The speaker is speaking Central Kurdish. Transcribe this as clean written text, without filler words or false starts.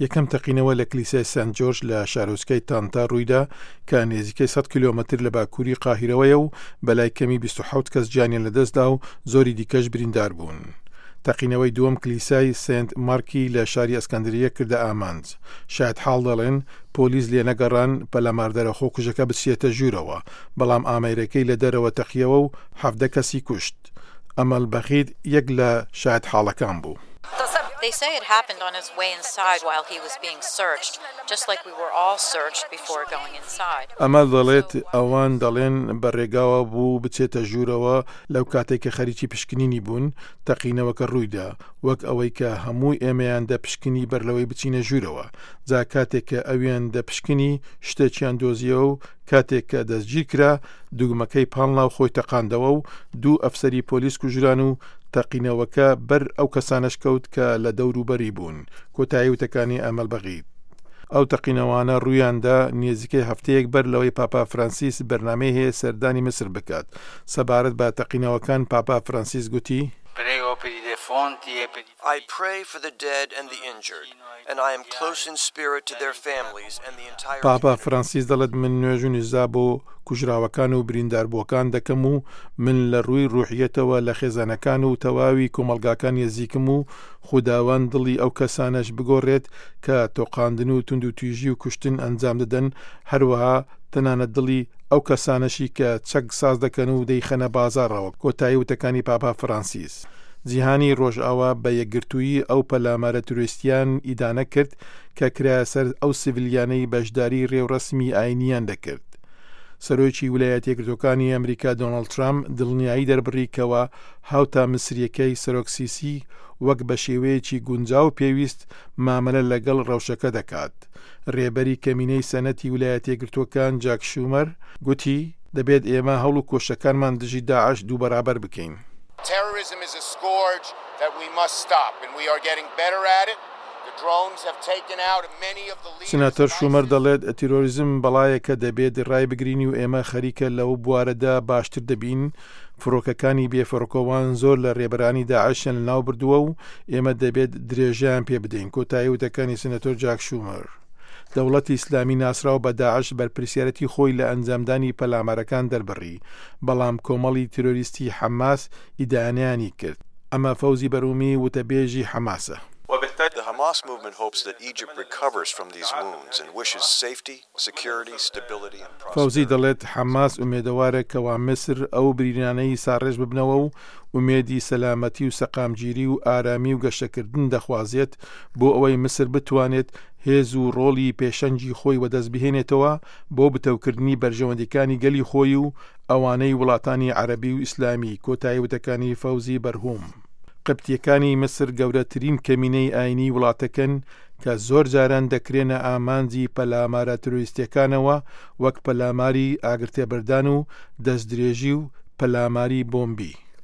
یەکەم تەقینەوە لە کلیسای سانت جۆرج لە شارۆچکەی تانتا ڕوویدا کە نێزیکەی 100 کیلۆمەتر لە باکووری قاهیرەوەیە و بەلای کەمی 27 کەس گیانیان لەدەستدا و زۆری دیکەش بریندار بوون. تەقینەوەی دووەم کلیسای سێنت مارکی لە شاری ئەسکەندریە کردە ئامانج. شایەتحاڵ دەڵێن، پۆلیس لێنەگەڕان پەلاماردەرە خۆکوژەکە بچێتە ژوورەوە، بەڵام ئامێرەکەی لە دەرەوە تەقیەوە و 17 کەسی کوشت. ئەمەل بەخیت یەک لە شایەتحاڵەکان بوو. ئەمەل دەڵێت، ئەوان دەڵێن بە رێگاوە بوو بچێتە ژوورەوە، لەو کاتەی کە خەریکی پشکنینی بوون، تەقینەوەکە روویدا، وەک ئەوەی کە هەموو ئێمەیان دەپشکنی بەر لەوەی بچینە ژوورەوە. جا کاتێک کە ئەویان دەپشکنی، شتێکیان دۆزیەوە و کاتێک کە دەستگیرکرا، دوگمەکەی پاڵنا و خۆی تەقاندەوە و دوو ئەفسەری پۆلیس کوژران و تەقینەوەکە بەر ئەو کەسانەش کەوت کە لە دەوروبەری بوون. کۆتایی وتەکانی ئەمەل بەغید. ئەو تەقینەوانە ڕوویاندا نێزیکەی هەفتەیەک بەر لەوەی پاپا فرانسیس بەرنامەی هەیە سەردانی میسر بکات. سەبارەت بە تەقینەوەکان پاپا فرانسیس گوتی. پاپا فرانسیس دەڵێت من نوێژ و نزا بۆ کوژراوەکان و برینداربووەکان دەکەم و من لە ڕووی ڕوحیەتەوە لە خێزانەکان و تەواوی کۆمەڵگاکان نێزیکم و خوداوەند دڵی ئەو کەسانەش بگۆڕێت کە تۆقاندن و توندوتیژی و کوشتن ئەنجام دەدەن، هەروەها تەنانەت دڵی ئەو کەسانەشی کە چەک ساز دەکەن و دەیخەنە بازاڕەوە، کۆتایی وتەکانی پاپا فرانسیس. جیهانی ڕۆژئاوا بە یەکگرتوویی ئەو پەلامارە ترۆیستیان ئیدانە کرد کە کرایە سەر ئەو سیڤیلیانەی بەشداری ڕێوڕەسمی ئاینییان دەکرد. سەرۆکی ولایەتیەکگرتووەکانی ئەمریکا دۆناڵد ترامپ دڵنیایی دەربڕی کەوا هاوتا میسریەکەی سەرۆک سیسی وەک بە شێوەیەکی گونجاو و پێویست مامەلە لەگەڵ ڕەوشەکە دەکات. رێبەری کەمینەی سەنەتی ولایەتیەکگرتووەکان جاک شومەر گوتی، دەبێت ئێمە هەوڵ و کۆششەکانمان دژی داعش دووبەرابەر بکەین. Terrorism is a scourge that we must stop and we are getting better at it. The drones have taken out many of the leaders سناتۆر of شومەر ISIS. دەڵێت، تیرۆریزم بەڵایەکە دەبێت رایبگرین و ئێمە خەریکە لەو بوارەدا باشتر دەبین. فڕۆکەکانی بێفڕۆکەوان زۆر لە رێبەرانی داعشیان لەناوبردووە و ئێمە دەبێت درێژەیان پێ بدەین، کۆتایی وتەکانی سناتۆر جاک شومەر. دەوڵەتی ئیسلامی ناسراو بە داعش بەرپرسیارەتی خۆی لە ئەنجامدانی پەلامارەکان دەربڕی، بەڵام کۆمەڵی تیرۆریستی حەماس ئیدانەیانی کرد. ئەمە فەوزی بەرومی وتەبێژی حەماسە. The Hamas movement hopes that Egypt recovers from these wounds and wishes safety, security, stability and فەوزی prosperity. دەڵێت حەماس ئومێدەوارە کەوا میسر ئەو برینانەی ساڕێژ ببنەوە و ئومێدی سەلامەتی و سەقامگیری و ئارامی و گەشەکردن دەخوازێت بۆ ئەوەی میسر بتوانێت هێز و ڕۆڵی پێشەنگی خۆی وەدەست بهێنێتەوە بۆ بتەوکردنی بەرژەوەندیکانی گەلی خۆی و ئەوانەی وڵاتانی عەرەبی و ئیسلامی، کۆتایی وتەکانی فەوزی بەرهوم. قبتیەکانی میسر گەورەترین کەمینەی ئاینیی وڵاتەکەن کە زۆر جاران دەکرێنە ئامانجی پەلامارە ترۆریستیەکانەوە وەک پەلاماری ئاگرتێبەردان و دەستدرێژی و پەلاماری بۆمبی.